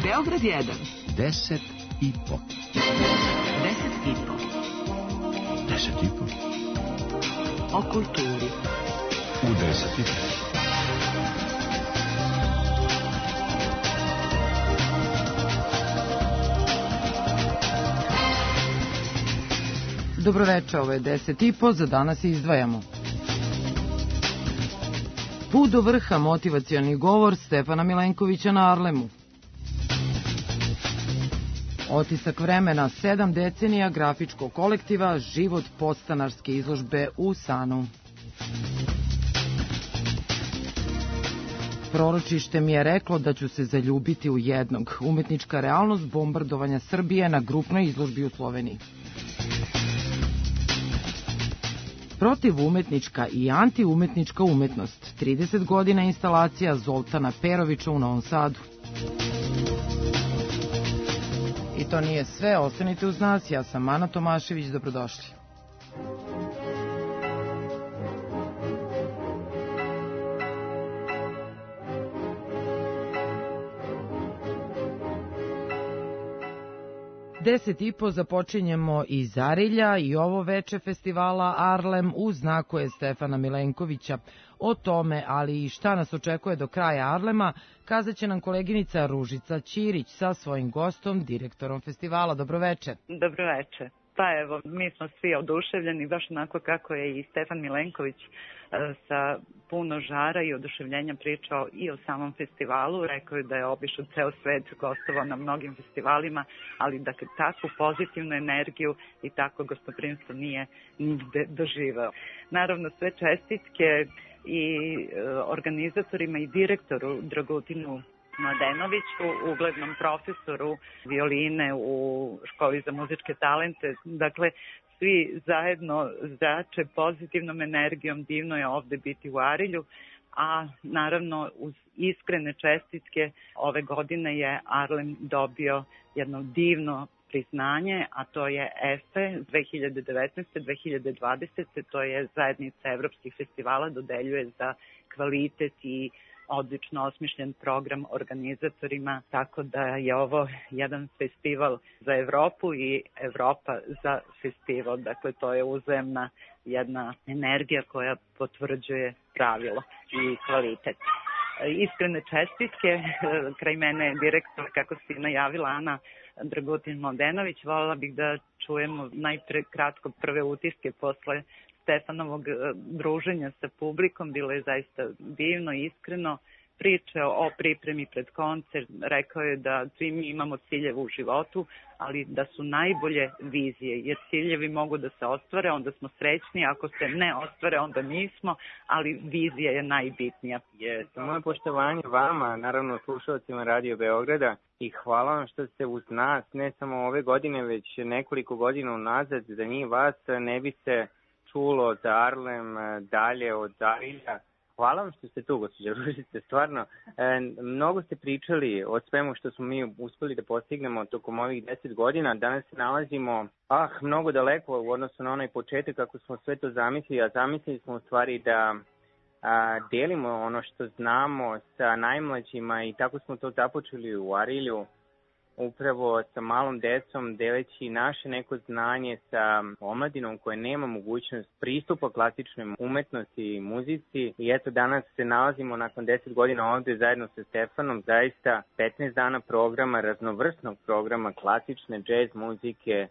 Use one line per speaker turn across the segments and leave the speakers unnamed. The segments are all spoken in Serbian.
Beograd 1.
10 i po.
10 i po.
10 i po.
O kulturi.
U 10 i po.
Dobroveče, ovo je 10 i po, za danas izdvajamo. Put do vrha, motivacioni govor Stefana Milenkovića na Arlemu. Otisak vremena, 7 decenija grafičkog kolektiva, život podstanarske izložbe u Sanu. Proročište mi je reklo da ću se zaljubiti u jednog. Umetnička realnost bombardovanja Srbije na grupnoj izložbi u Sloveniji. Protivumetnička i antiumetnička umetnost. 30 godina instalacija Zoltana Perovića u Novom Sadu. I to nije sve, ostanite uz nas, ja sam Ana Tomašević, dobrodošli. Deset i po započinjemo iz Arilja i ovo veče festivala Arlem u znaku je Stefana Milenkovića. O tome, ali i šta nas očekuje do kraja Arlema, kazat će nam koleginica Ružica Ćirić sa svojim gostom, direktorom festivala. Dobroveče.
Dobroveče. Pa evo, mi smo svi oduševljeni, baš onako kako je i Stefan Milenković sa puno žara i oduševljenja pričao i o samom festivalu. Rekao je da je obišao ceo svet, gostovao na mnogim festivalima, ali da takvu pozitivnu energiju i takvo gostoprimstvo nije nigde doživeo. Naravno, sve čestitke i organizatorima i direktoru Dragutinu Mladenoviću, uglednom profesoru violine u školi za muzičke talente. Dakle, svi zajedno zrače pozitivnom energijom, divno je ovde biti u Arilju, a naravno uz iskrene čestitke ove godine je Arlem dobio jedno divno priznanje, a to je EFE 2019-2020, to je zajednica evropskih festivala, dodeljuje za kvalitet i odlično osmišljen program organizatorima, tako da je ovo jedan festival za Evropu i Evropa za festival. Dakle, to je uzajamna jedna energija koja potvrđuje pravilo i kvalitet. Iskrene čestitke, kraj mene je direktor, kako si najavila, Ana Dragutin-Mladenović. Voljela bih da čujemo najpre kratko prve utiske posle Stefanovog druženja sa publikom. Bilo je zaista divno i iskreno. Pričao o pripremi pred koncert, rekao je da svi mi imamo ciljeve u životu, ali da su najbolje vizije, jer ciljevi mogu da se ostvare, onda smo srećni, ako se ne ostvare, onda nismo, ali vizija je najbitnija.
Moje poštovanje vama, naravno slušalcima Radio Beograda, i hvala vam što ste uz nas, ne samo ove godine, već nekoliko godina unazad. Za njih vas ne bi se čulo za Arlem dalje od Arilja. Hvala vam što ste tu, gospođa Ružice, stvarno. Mnogo ste pričali o svemu što smo mi uspeli da postignemo tokom ovih 10 godina. Danas se nalazimo mnogo daleko u odnosu na onaj početak kako smo sve to zamislili, a zamislili smo u stvari da delimo ono što znamo sa najmlađima i tako smo to započeli u Arilju, upravo sa malom decom, deleći naše neko znanje sa omladinom koja nema mogućnost pristupa klasičnoj umetnosti i muzici. I eto, danas se nalazimo nakon 10 godina ovde zajedno sa Stefanom, zaista 15 dana programa, raznovrsnog programa, klasične džez muzike,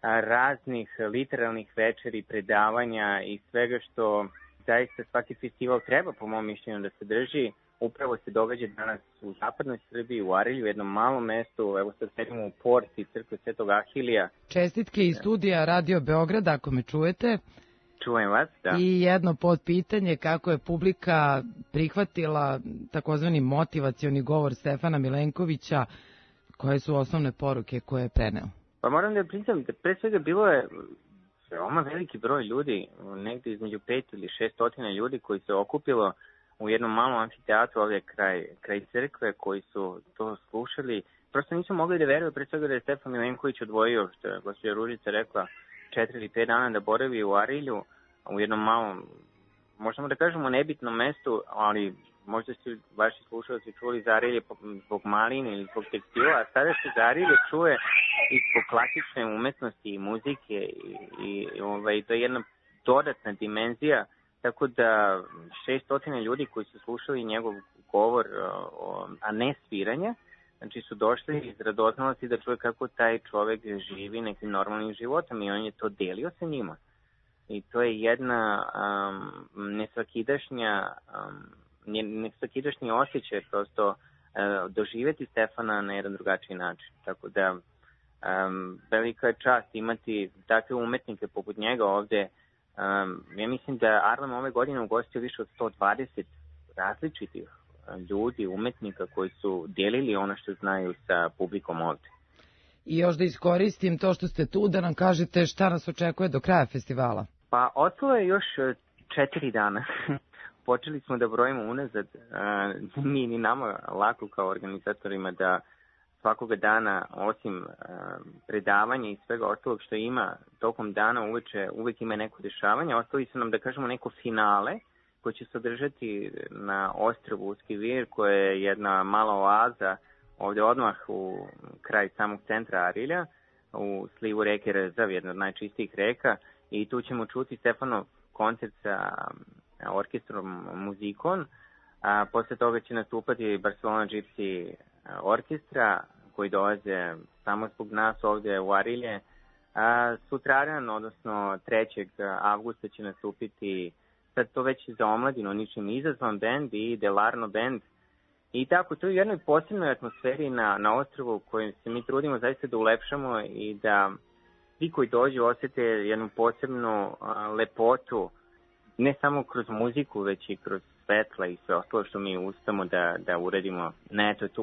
raznih literalnih večeri, predavanja i svega što zaista svaki festival treba, po mom mišljenju, da se drži. Upravo se događa danas u zapadnoj Srbiji, u Arilju, u jednom malom mestu. Evo sad sedimo u porti crkve Svetog Ahilija.
Čestitke iz studija Radio Beograd, ako me čujete.
Čujem vas, da.
I jedno podpitanje, kako je publika prihvatila takozvani motivacioni govor Stefana Milenkovića, koje su osnovne poruke koje je preneo?
Pa moram da priznam da pre svega bilo je veoma veliki broj ljudi, negde između 5 ili 600 ljudi koji se okupilo u jednom malom amfiteatru ovdje kraj crkve, koji su to slušali. Prosto nismo mogli da veruju, pre svega da je Stefan Milenković odvojio, što je gospođa Ružica rekla, 4 ili 5 dana da boravi u Arilju, u jednom malom, možemo da kažemo nebitnom mestu, ali možda su vaši slušalci čuli Zarilje zbog maline ili zbog tekstila, a sada se Zarilje čuje i zbog klasične umetnosti i muzike i to je jedna dodatna dimenzija, tako da 600 ljudi koji su slušali njegov govor, a ne sviranje, znači su došli iz radoznalosti da čuje kako taj čovek živi nekim normalnim životom i on je to delio sa njima. I to je jedna nesvakidašnji osjećaj prosto doživjeti Stefana na jedan drugačiji način. Tako da velika je čast imati takve umetnike poput njega ovde. Ja mislim da Arlem ove godine ugostio više od 120 različitih ljudi, umetnika koji su delili ono što znaju sa publikom ovde.
I još da iskoristim to što ste tu, da nam kažete šta nas očekuje do kraja festivala.
Pa ostalo je još 4 dana. Počeli smo da brojimo unazad. Nije ni nama lako kao organizatorima da svakoga dana, osim predavanja i svega ostalog što ima tokom dana uveče, uvek ima neko dešavanje. Ostali su nam, da kažemo, neko finale koje će se održati na ostrvu Uski Vir, koja je jedna mala oaza ovde odmah u kraj samog centra Arilja, u slivu reke Rezav, jedna od najčistijih reka, i tu ćemo čuti Stefanov koncert sa orkestrom Muzikon, a posle toga će nastupati Barcelona Gypsy orkestra, koji dolaze samo zbog nas ovde u Arilje. Sutradan, odnosno 3. avgusta će nastupiti, sad to već za omladinu, ničim izazvan band i Delarno band. I tako, to je u jednoj posebnoj atmosferi na ostrvu koju se mi trudimo zaista da ulepšamo i da svi koji dođu osete jednu posebnu lepotu, ne samo kroz muziku, već i kroz svetla i sve ostalo što mi uspemo da uradimo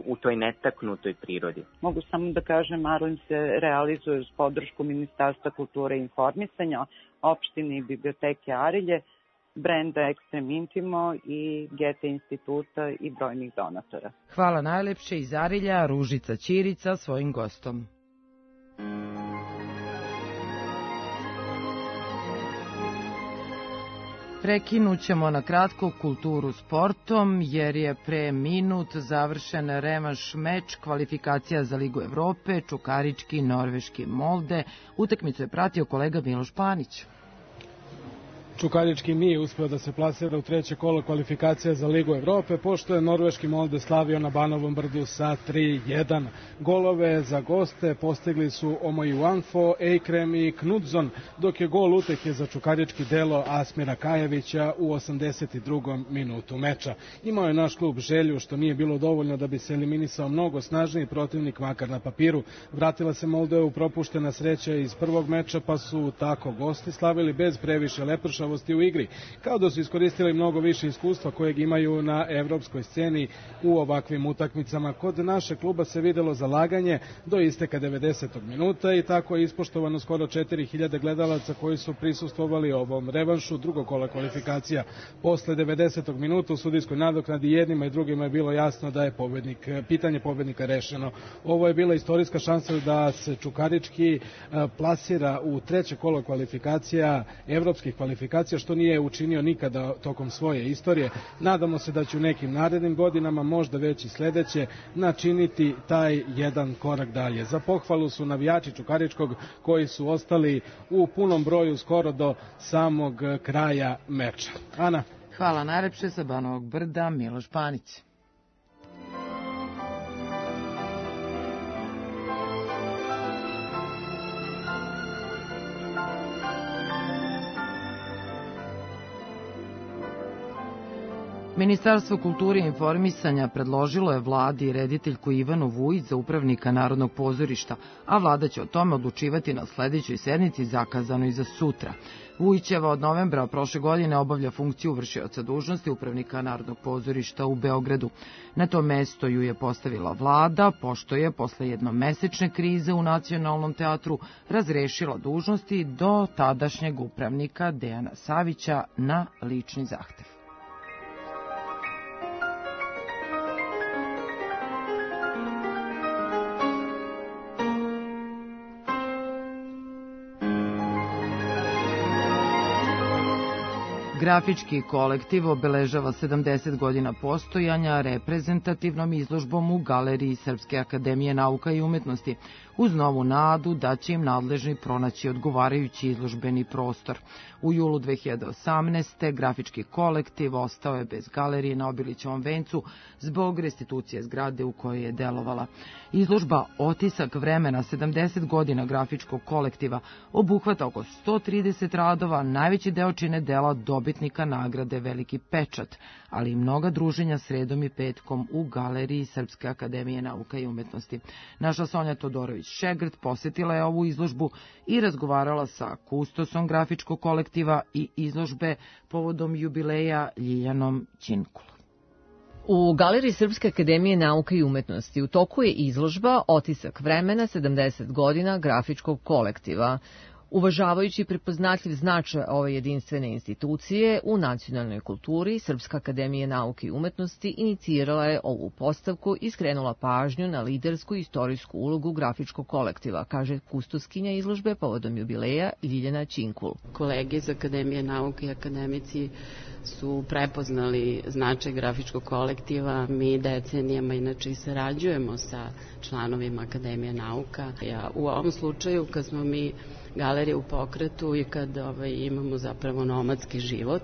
u toj netaknutoj prirodi.
Mogu samo da kažem, Arlem se realizuje uz podršku Ministarstva kulture i informisanja, opštine i biblioteke Arilje, brenda Extreme Intimo i Goethe instituta i brojnih donatora.
Hvala najlepše iz Arilja, Ružica Ćirica svojim gostom. Prekinut ćemo na kratko kulturu sportom, jer je pre minut završen revanš meč kvalifikacija za Ligu Evrope, Čukarički, Norveški Molde. Utakmicu je pratio kolega Miloš Panić.
Čukarički nije uspeo da se plasira u 3. kolo kvalifikacija za Ligu Evrope, pošto je Norveški Molde slavio na Banovom brdu sa 3-1. Golove za goste postigli su Omoji Wanfo, Eikrem i Knudzon, dok je gol utehe za Čukarički delo Asmira Kajevića u 82. minutu meča. Imao je naš klub želju, što nije bilo dovoljno da bi se eliminisao mnogo snažniji protivnik, makar na papiru. Vratila se Moldevu propuštena sreća iz prvog meča, pa su tako gosti slavili bez previše lepršavosti u igri, kao da su iskoristili mnogo više iskustva kojeg imaju na evropskoj sceni u ovakvim utakmicama. Kod naše kluba se videlo zalaganje do isteka 90. minuta i tako je ispoštovano skoro 4000 gledalaca koji su prisustvovali ovom revanšu drugog kola kvalifikacija. Posle 90. minuta u sudijskoj nadoknadi jednima i drugima je bilo jasno da je pitanje pobednika rešeno. Ovo je bila istorijska šansa da se Čukarički plasira u 3. kolo kvalifikacija, evropskih kvalifikacija, što nije učinio nikada tokom svoje istorije. Nadamo se da će u nekim narednim godinama, možda već i sledeće, načiniti taj jedan korak dalje. Za pohvalu su navijači Čukaričkog, koji su ostali u punom broju skoro do samog kraja meča. Ana?
Hvala najlepše sa Banovog brda, Miloš Panić. Ministarstvo kulture i informisanja predložilo je vladi rediteljku Ivanu Vujić za upravnika Narodnog pozorišta, a vlada će o tome odlučivati na sledećoj sednici zakazanoj za sutra. Vujićeva od novembra prošle godine obavlja funkciju vršioca dužnosti upravnika Narodnog pozorišta u Beogradu. Na to mesto ju je postavila vlada, pošto je posle jednomesečne krize u Nacionalnom teatru razrešila dužnosti do tadašnjeg upravnika Dejana Savića na lični zahtev. Grafički kolektiv obeležava 70 godina postojanja reprezentativnom izložbom u Galeriji Srpske akademije nauka i umetnosti, uz novu nadu da će im nadležni pronaći odgovarajući izložbeni prostor. U julu 2018. grafički kolektiv ostao je bez galerije na Obilićevom vencu zbog restitucije zgrade u kojoj je delovala. Izložba Otisak vremena 70 godina grafičkog kolektiva obuhvata oko 130 radova, najveći deo čine dela dobitnika nagrade Veliki pečat, ali i mnoga druženja sredom i petkom u Galeriji Srpske akademije nauka i umetnosti. Naša Sonja Todorović-Šegrt posjetila je ovu izložbu i razgovarala sa kustosom grafičkog kolektiva i izložbe povodom jubileja Ljiljanom Ćinkulom.
U Galeriji Srpske akademije nauka i umetnosti u toku je izložba Otisak vremena 70 godina grafičkog kolektiva. Uvažavajući prepoznatljiv značaj ove jedinstvene institucije u nacionalnoj kulturi, Srpska akademija nauke i umetnosti inicirala je ovu postavku i skrenula pažnju na lidersku istorijsku ulogu grafičkog kolektiva, kaže kustoskinja izložbe povodom jubileja Ljiljana Ćinkul.
Kolege iz Akademije nauke i akademici su prepoznali značaj grafičkog kolektiva. Mi decenijama inače i sarađujemo sa članovima Akademije nauka. U ovom slučaju, kad smo mi galerija u pokretu i kad imamo zapravo nomadski život,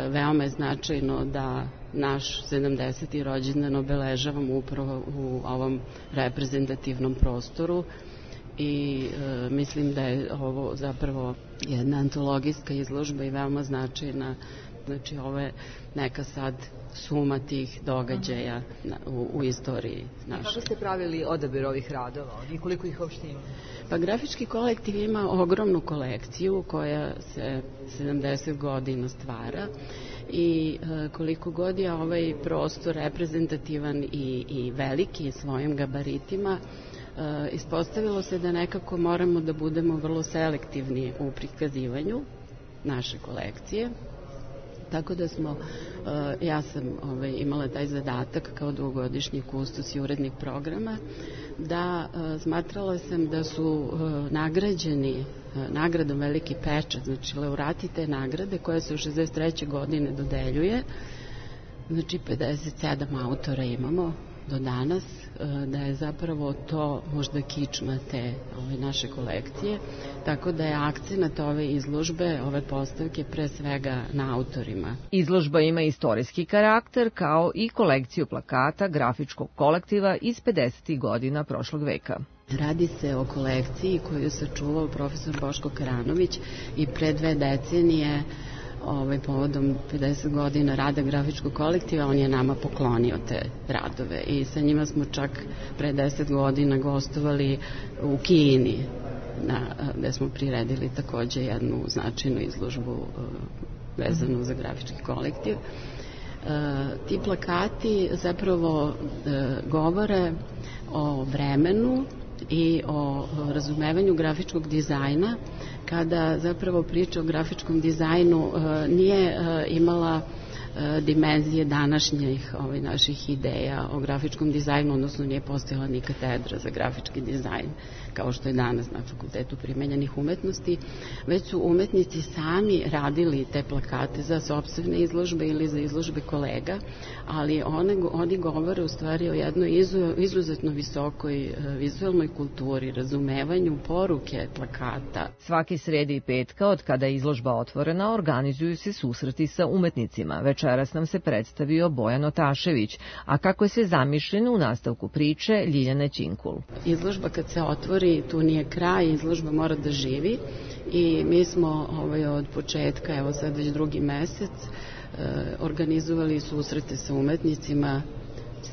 veoma je značajno da naš 70. rođendan obeležavamo upravo u ovom reprezentativnom prostoru i mislim da je ovo zapravo jedna antologijska izložba i veoma značajna. Znači, ovo je neka sad suma tih događaja u istoriji naše.
Kako ste pravili odabir ovih radova i koliko ih uopšte ima?
Pa grafički kolektiv ima ogromnu kolekciju koja se 70 godina stvara i koliko god je ovaj prostor reprezentativan i veliki svojim gabaritima, ispostavilo se da nekako moramo da budemo vrlo selektivni u prikazivanju naše kolekcije. Tako da ja sam imala taj zadatak kao dugogodišnji kustos i urednik programa, da smatrala sam da su nagrađeni nagradom Veliki pečat, znači laureati te nagrade koja se u 63. godine dodeljuje, znači 57 autora imamo do danas, da je zapravo to možda kičma te naše kolekcije, tako da je akcenat ove izložbe, ove postavke pre svega na autorima.
Izložba ima istorijski karakter kao i kolekciju plakata grafičkog kolektiva iz 50. godina prošlog veka.
Radi se o kolekciji koju je sačuvao profesor Boško Karanović i pre 2 decenije povodom 50 godina rada grafičkog kolektiva, on je nama poklonio te radove i sa njima smo čak pre 10 godina gostovali u Kini, gde smo priredili takođe jednu značajnu izložbu vezanu za grafički kolektiv. Ti plakati zapravo govore o vremenu i o razumevanju grafičkog dizajna, kada zapravo priča o grafičkom dizajnu nije imala dimenzije današnjih naših ideja o grafičkom dizajnu, odnosno nije postojala ni katedra za grafički dizajn, kao što je danas na Fakultetu primenjenih umetnosti, već su umetnici sami radili te plakate za sopstvene izložbe ili za izložbe kolega, ali oni govore u stvari o jednoj izuzetno visokoj vizualnoj kulturi, razumevanju poruke plakata.
Svake srede i petka, od kada je izložba otvorena, organizuju se susreti sa umetnicima. Večeras nam se predstavio Bojan Otašević, a kako je sve zamišljeno u nastavku priče Ljiljane Ćinkul.
Izložba kad se otvori, tu nije kraj, izložba mora da živi i mi smo od početka, evo sad već 2. mesec, organizovali susrete sa umetnicima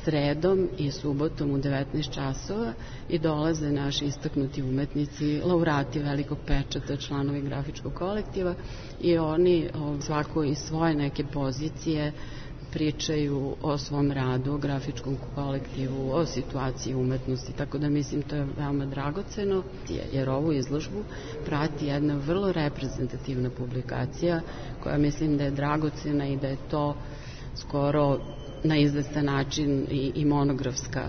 sredom i subotom u 19 časova i dolaze naši istaknuti umetnici, laureati Velikog pečata, članovi grafičkog kolektiva i oni svako iz svoje neke pozicije pričaju o svom radu, o grafičkom kolektivu, o situaciji umetnosti, tako da mislim to je veoma dragoceno, jer ovu izložbu prati jedna vrlo reprezentativna publikacija koja mislim da je dragocena i da je to skoro na izvestan način i monografska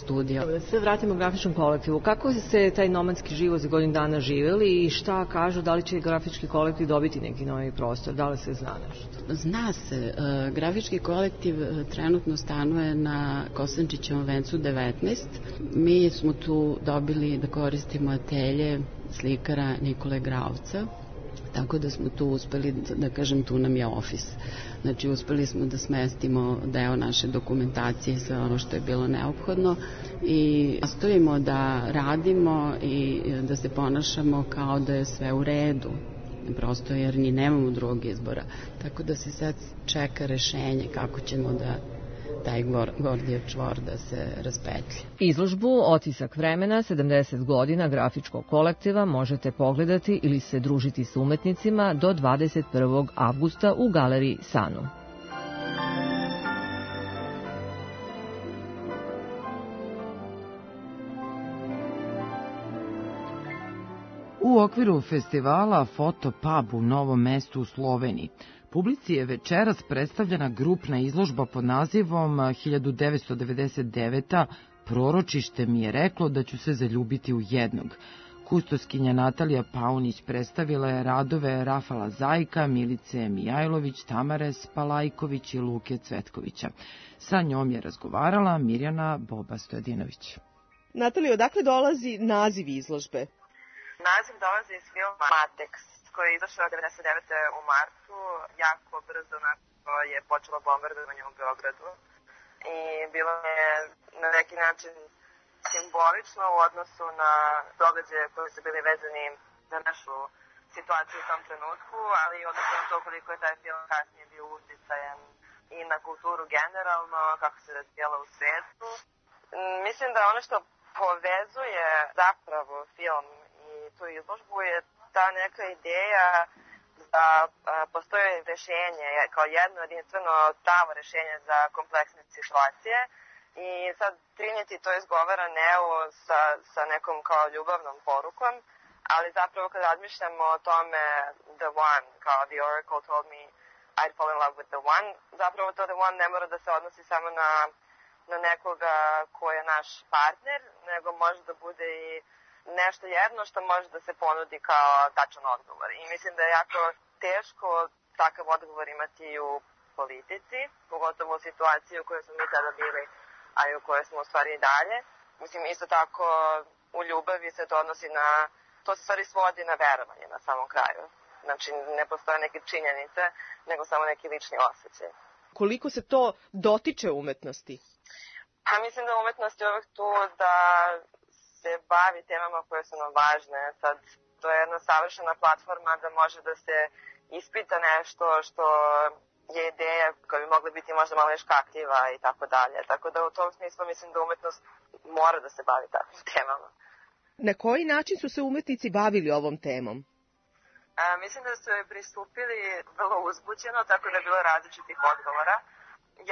studija.
Da se vratimo grafičkom kolektivu. Kako se taj nomadski život za godinu dana živeli i šta kažu, da li će grafički kolektiv dobiti neki novi prostor, da li se zna nešto?
Zna se, grafički kolektiv trenutno stanuje na Kosančićevom vencu 19. Mi smo tu dobili da koristimo atelje slikara Nikole Gravca, tako da smo tu uspeli, da kažem, tu nam je ofis. Znači, uspeli smo da smestimo deo naše dokumentacije, sve ono što je bilo neophodno i nastojimo da radimo i da se ponašamo kao da je sve u redu. Prosto jer ni nemamo drugog izbora. Tako da se sad čeka rešenje kako ćemo da taj Gordijev čvor da se raspetlja.
Izložbu Otisak vremena 70 godina grafičkog kolektiva možete pogledati ili se družiti s umetnicima do 21. avgusta u galeriji Sanu.
U okviru festivala Fotopub u Novom Mestu u Sloveniji publici je večeras predstavljena grupna izložba pod nazivom 1999. Proročište mi je reklo da ću se zaljubiti u jednog. Kustoskinja Natalija Paunić predstavila je radove Rafala Zajka, Milice Mijajlović, Tamare Spalajković i Luke Cvetkovića. Sa njom je razgovarala Mirjana Boba Stojadinović.
Natalija, odakle dolazi naziv izložbe?
Naziv dolazi iz filma Matex, koji je izašao 1999. u martu, jako brzo nakon je počelo bombardovanje u Beogradu. I bilo je na neki način simbolično u odnosu na događaje koji su bili vezani za našu situaciju u tom trenutku, ali i odnosno na to koliko je taj film kasnije bio uticajan i na kulturu generalno, kako se razvijala u svetu. Mislim da ono što povezuje zapravo film i tu izložbu je ta neka ideja da postoje rešenje kao jedno jedinstveno pravo rešenje za kompleksne situacije i sad trinjeti to izgovara Neo sa nekom kao ljubavnom porukom, ali zapravo kad razmišljamo o tome the one, kao the oracle told me I'd fall in love with the one, zapravo to the one ne mora da se odnosi samo na nekoga ko je naš partner, nego može da bude i nešto jedno što može da se ponudi kao tačan odgovor. I mislim da je jako teško takav odgovor imati u politici, pogotovo u situaciji u kojoj smo mi sada bili, a i u kojoj smo u stvari i dalje. Mislim, isto tako u ljubavi se to odnosi na, to se stvari svodi na verovanje na samom kraju. Znači, ne postoje neke činjenice, nego samo neki lični osjećaj.
Koliko se to dotiče umetnosti?
Pa mislim da umetnost je uvek tu da se bavi temama koje su nam važne. Sad, to je jedna savršena platforma da može da se ispita nešto što je ideja koja bi mogla biti možda malo škakljiva i tako dalje. Tako da u tom smislu mislim da umetnost mora da se bavi takvim temama.
Na koji način su se umetnici bavili ovom temom?
Mislim da su joj pristupili vrlo uzbuđeno, tako da je bilo različitih odgovora.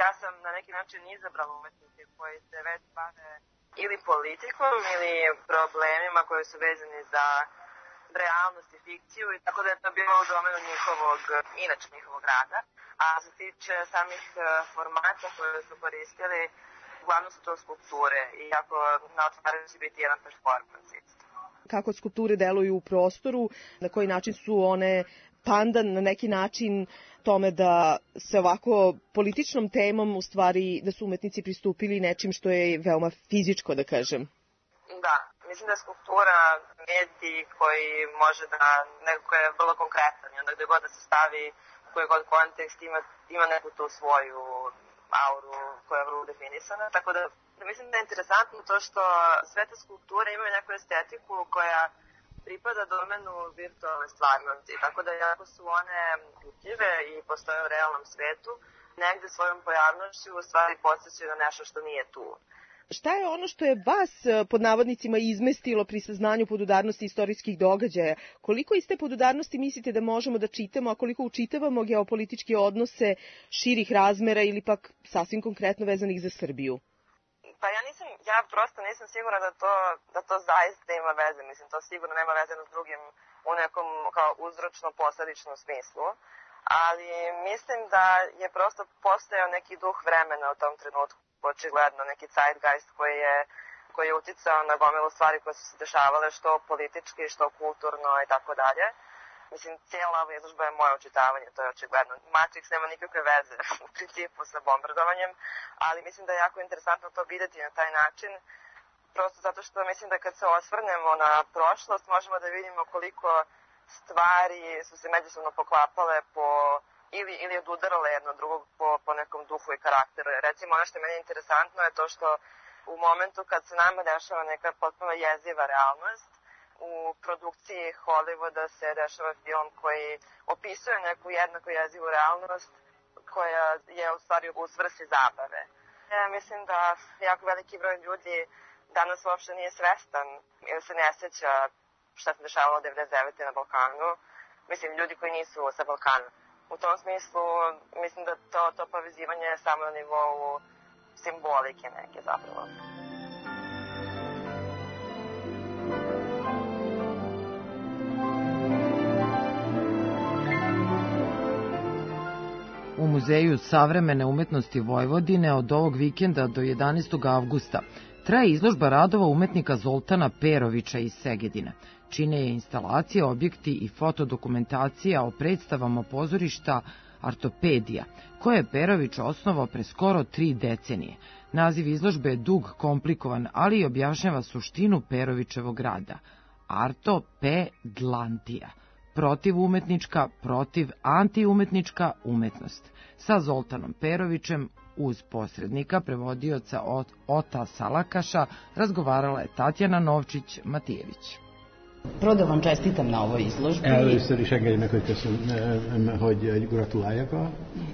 Ja sam na neki način izabrala umetnike koji se već bave ili politikom ili problemima koji su vezani za realnost i fikciju i tako da je to bilo u domenu njihovog rada. A što se tiče samih formata koje su koristili, uglavnom su to skulpture i ako na otvaranju će biti jedan performans isto.
Kako skulpture deluju u prostoru, na koji način su one pandan na neki način tome da se ovako političnom temom u stvari da su umetnici pristupili nečim što je veoma fizičko, da kažem.
Da, mislim da je skulptura medij koji može da, neko je vrlo konkretan i onda gde god da se stavi u koji god kontekst ima neku tu svoju auru koja je vrlo definisana, tako da mislim da je interesantno to što sve te skulpture imaju neku estetiku koja pripada domenu virtualne stvarnosti, tako da jako su one utljive i postoje u realnom svetu, negde svojom pojavnošću u stvari podsjećaju na nešto što nije tu.
Šta je ono što je vas, pod navodnicima, izmestilo pri saznanju podudarnosti istorijskih događaja? Koliko iz te podudarnosti mislite da možemo da čitamo, a koliko učitavamo geopolitičke odnose širih razmera ili pak sasvim konkretno vezanih za Srbiju?
Pa ja prosto nisam sigurna da to zaista ima veze. Mislim, to sigurno nema veze s drugim u nekom kao uzročno-posledičnom smislu. Ali mislim da je prosto postojao neki duh vremena u tom trenutku očigledno neki zeitgeist koji je uticao na gomilu stvari koje su se dešavale, što politički, što kulturno i tako dalje. Mislim, cijela ova izložba je moje očitavanje, to je očigledno. Matrix nema nikakve veze u principu sa bombardovanjem, ali mislim da je jako interesantno to videti na taj način, prosto zato što mislim da kad se osvrnemo na prošlost možemo da vidimo koliko stvari su se međusobno poklapale ili odudarale jedno drugog po nekom duhu i karakteru. Recimo, ono što je meni interesantno je to što u momentu kad se nama dešava neka potpuno jeziva realnost, u produkciji Hollywooda se dešava film koji opisuje neku jednako jezivu realnost koja je u stvari u svrsi zabave. Ja mislim da jako veliki broj ljudi danas uopšte nije svestan ili se ne sjeća šta se dešavalo 99. na Balkanu. Mislim, ljudi koji nisu sa Balkana. U tom smislu, mislim da to povezivanje je samo na nivou simbolike neke zapravo.
U Muzeju savremene umetnosti Vojvodine od ovog vikenda do 11. avgusta traje izložba radova umetnika Zoltana Perovića iz Segedina. Čine je instalacije, objekti i fotodokumentacija o predstavama pozorišta Artopedija, koje je Perović osnovao pre skoro 3 decenije. Naziv izložbe je dug, komplikovan, ali i objašnjava suštinu Perovićevog rada. Artopedlantija. Protivumetnička, protiv-antiumetnička umetnost. Sa Zoltanom Perovićem, uz posrednika, prevodioca Ota Salakaša, razgovarala je Tatjana Novčić-Matijević.
Prvo da vam čestitam na ovoj izložbi.
Először is engedje meg, hogy gratuláljak a...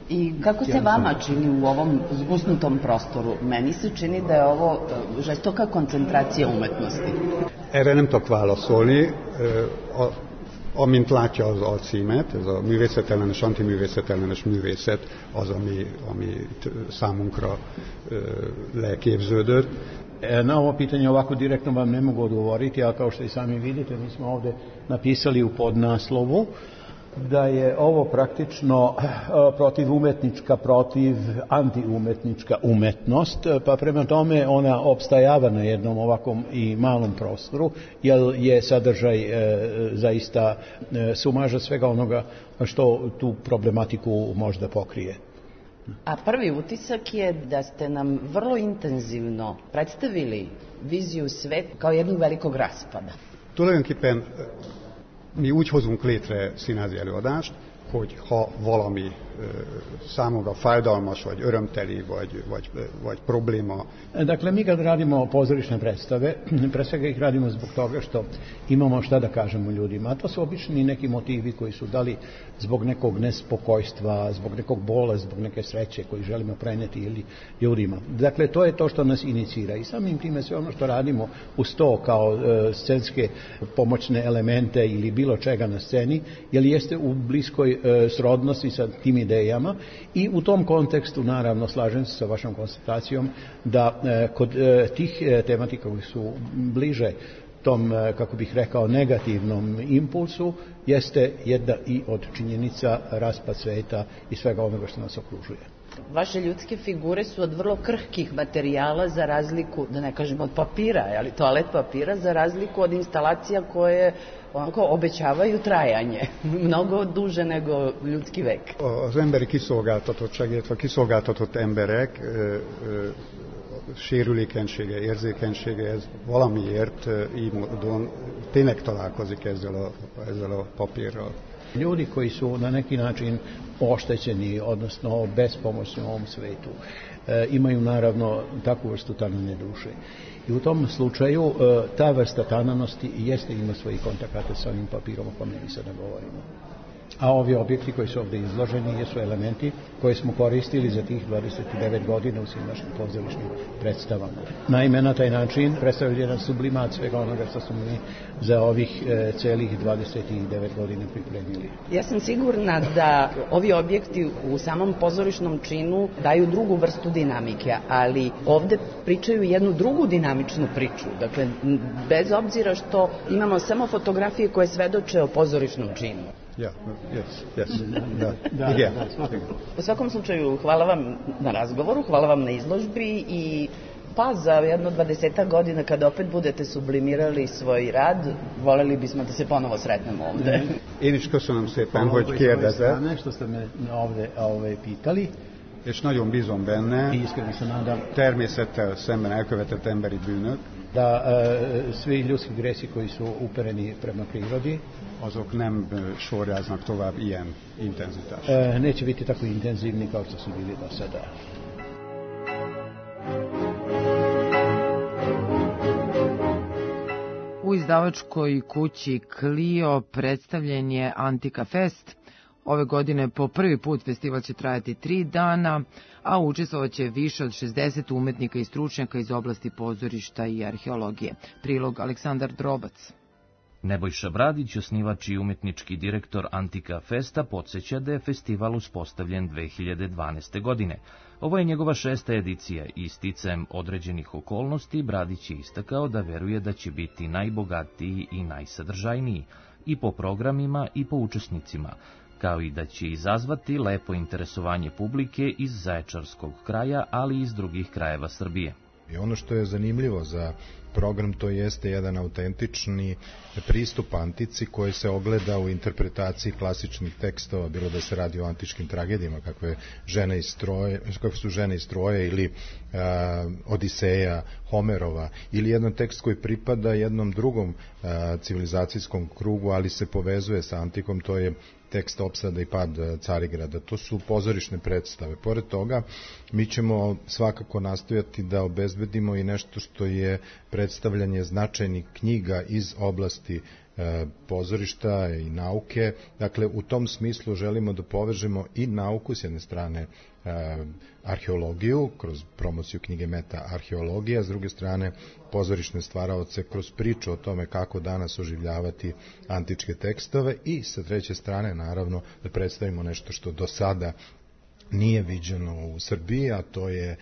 I kako se vama čini u ovom zgusnutom prostoru? Meni se čini da je ovo žestoka koncentracija umetnosti.
Erre nem tudok válaszolni. Amint látja az alcímet, ez a művészetellenes, antiművészetellenes művészet az, ami számunkra leképződött.
Na ovo pitanje ovako direktno vam ne mogu odgovoriti, ali kao što i sami vidite, mi smo ovde napisali u podnaslovu da je ovo praktično protivumetnička, protiv-antiumetnička umetnost, pa prema tome ona opstajava na jednom ovakvom i malom prostoru, jer je sadržaj zaista sumaža svega onoga što tu problematiku možda pokrije.
A prvi utisak je da ste nam vrlo intenzivno predstavili viziju sveta kao jednog velikog raspada.
Tulajdonképpen mi úgy hozunk létre színházi előadást, hogy ha valami számunkra fájdalmas, vagy örömteli, vagy probléma.
Dakle, mi kad radimo pozorišne predstave, pre svega ih radimo zbog toga što imamo šta da kažemo ljudima. A to su obični neki motivi koji su dali zbog nekog nespokojstva, zbog nekog bola, zbog neke sreće koji želimo preneti ili ljudima. Dakle, to je to što nas inicira. I samim time sve ono što radimo uz to kao scenske pomoćne elemente ili bilo čega na sceni, jer jeste u bliskoj srodnosti sa tim idejama i u tom kontekstu, naravno, slažem se sa vašom konstatacijom da kod tih tematika koji su bliže tom, kako bih rekao, negativnom impulsu, jeste jedna i od činjenica raspad sveta i svega onoga što nas okružuje.
Vaše ljudske figure su od vrlo krhkih materijala za razliku, da ne kažem od papira, ali toalet papira, za razliku od instalacija koje onako obećavaju trajanje, mnogo duže nego ljudski vek.
Az emberi kiszolgáltatottság, illetve kiszolgáltatott emberek sérülékenysége, érzékenysége, ez valamiért így módon tényleg találkozik ezzel a papírral.
Ljudi koji su na neki način oštećeni, odnosno bespomoćni u ovom svetu, imaju naravno takvu vrstu tanane duše. I u tom slučaju ta vrsta tananosti jeste ima svojih kontakata sa ovim papirom o kome mi sada govorimo. A ovi objekti koji su ovdje izloženi jesu elementi koje smo koristili za tih 29 godina u svim našim pozorišnim predstavama. Naime, na taj način predstavlja jedan sublimat svega onoga što smo mi za ovih celih 29 godina pripremili.
Ja sam sigurna da ovi objekti u samom pozorišnom činu daju drugu vrstu dinamike, ali ovde pričaju jednu drugu dinamičnu priču. Dakle, bez obzira što imamo samo fotografije koje svedoče o pozorišnom činu. U svakom slučaju, hvala vam na razgovoru, hvala vam na izložbi i pa za jedno 20 godina kada opet budete sublimirali svoj rad, voleli bismo da se ponovo sretnemo ovde.
Én is köszönöm szépen, hogy kérdezett.
Što ste me ovde pitali.
És nagyon bízom benne, természettel szemben elkövetett emberi bűnök,
da svi ljudski gresi koji su upereni prema prirodi,
azok nem sorjáznak tovább ilyen intenzitást.
Neće biti tako intenzivni kao što su bili do sada.
U izdavačkoj kući Clio predstavljen je Antika Fest. Ove godine po prvi put festival će trajati 3 dana, a učestvovaće više od 60 umetnika i stručnjaka iz oblasti pozorišta i arheologije. Prilog Aleksandar Drobac.
Nebojša Bradić, osnivač i umetnički direktor Antika Festa, podsjeća da je festival uspostavljen 2012. godine. Ovo je njegova 6. edicija i sticajem određenih okolnosti Bradić je istakao da veruje da će biti najbogatiji i najsadržajniji i po programima i po učesnicima, kao i da će izazvati lepo interesovanje publike iz zaječarskog kraja, ali i iz drugih krajeva Srbije.
I ono što je zanimljivo za program, to jeste jedan autentični pristup antici koji se ogleda u interpretaciji klasičnih tekstova, bilo da se radi o antičkim tragedijama, kakve su Žene iz Troje ili Odiseja Homerova, ili jedan tekst koji pripada jednom drugom civilizacijskom krugu, ali se povezuje sa antikom, to je tekst Opsada i pad Carigrada. To su pozorišne predstave. Pored toga, mi ćemo svakako nastojati da obezbedimo i nešto što je predstavljanje značajnih knjiga iz oblasti pozorišta i nauke. Dakle, u tom smislu želimo da povežemo i nauku, s jedne strane arheologiju, kroz promociju knjige Meta arheologija, s druge strane pozorišne stvaraoce kroz priču o tome kako danas oživljavati antičke tekstove i sa treće strane, naravno, da predstavimo nešto što do sada nije viđeno u Srbiji, a to je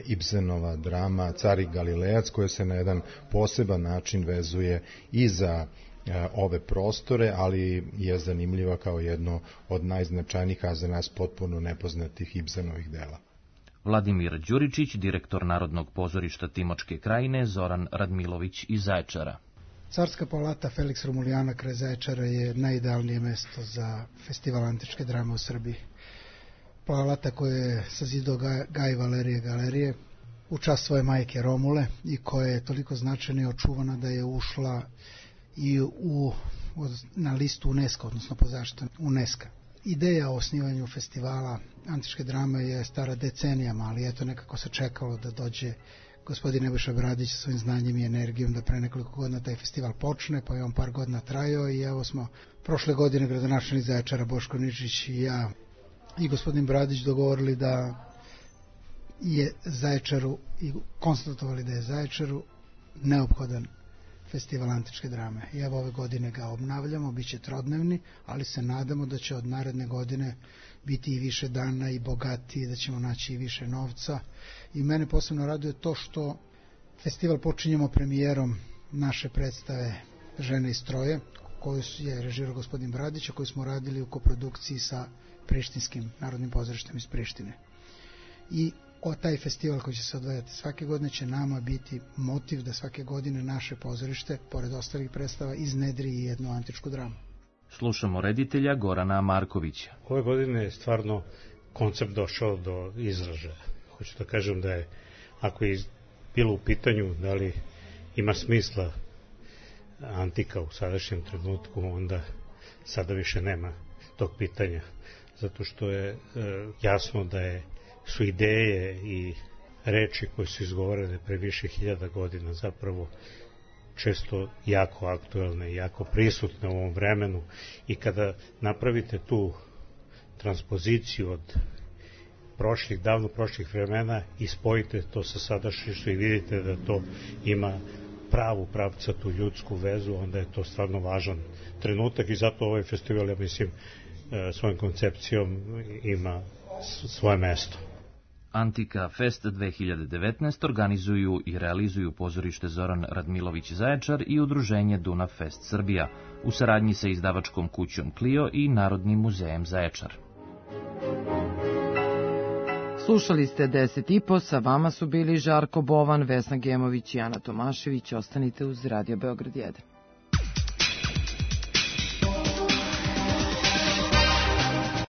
Ibsenova drama Car i Galilejac, koja se na jedan poseban način vezuje i za ove prostore, ali je zanimljiva kao jedno od najznačajnijih, a za nas potpuno nepoznatih Ibsenovih dela.
Vladimir Đuričić, direktor Narodnog pozorišta Timočke krajine, Zoran Radmilović iz Zaječara.
Carska palata Felix Romulijana kraj Zaječara je najidealnije mesto za festival antičke drame u Srbiji. Palata koju je sazidao Gaj Valerije Galerije u čast svoje majke Romule i koja je toliko značajna i očuvana da je ušla i na listu UNESCO, odnosno po zaštitom UNESCO. Ideja o osnivanju festivala antičke drame je stara decenijama, ali eto nekako se čekalo da dođe gospodin Nebojša Bradić sa svojim znanjem i energijom da pre nekoliko godina taj festival počne, pa je on par godina trajao i evo smo prošle godine gradonačelnik Zaječara Boško Ničić i ja i gospodin Bradić dogovorili da je Zaječaru i konstatovali da je Zaječaru neophodan festival antičke drame. I evo ove godine ga obnavljamo, bit će trodnevni, ali se nadamo da će od naredne godine biti i više dana i bogatiji, da ćemo naći i više novca. I mene posebno raduje to što festival počinjemo premijerom naše predstave Žene iz Troje, koju je režirao gospodin Bradić, a koju smo radili u koprodukciji sa Prištinskim narodnim pozorištem iz Prištine. I taj festival koji će se odvajati svake godine će nama biti motiv da svake godine naše pozorište, pored ostalih predstava, iznedri i jednu antičku dramu.
Slušamo reditelja Gorana Markovića.
Ove godine je stvarno koncept došao do izražaja. Hoću da kažem da je, ako je bilo u pitanju da li ima smisla antika u sadašnjem trenutku, onda sada više nema tog pitanja. Zato što je jasno da su ideje i reči koje su izgovorene pre više hiljada godina zapravo često jako aktuelne i jako prisutne u ovom vremenu i kada napravite tu transpoziciju od davno prošlih vremena i spojite to sa sadašnjošću i vidite da to ima pravu pravcatu ljudsku vezu, onda je to stvarno važan trenutak i zato ovaj festival, ja mislim, svojom koncepcijom ima svoje mesto.
Antika Fest 2019 organizuju i realizuju pozorište Zoran Radmilović Zaječar i udruženje Dunav Fest Srbija u saradnji sa izdavačkom kućom Clio i Narodnim muzejem Zaječar.
Slušali ste 10:30, sa vama su bili Žarko Bovan, Vesna Gemović i Ana Tomašević. Ostanite uz Radio Beograd 1.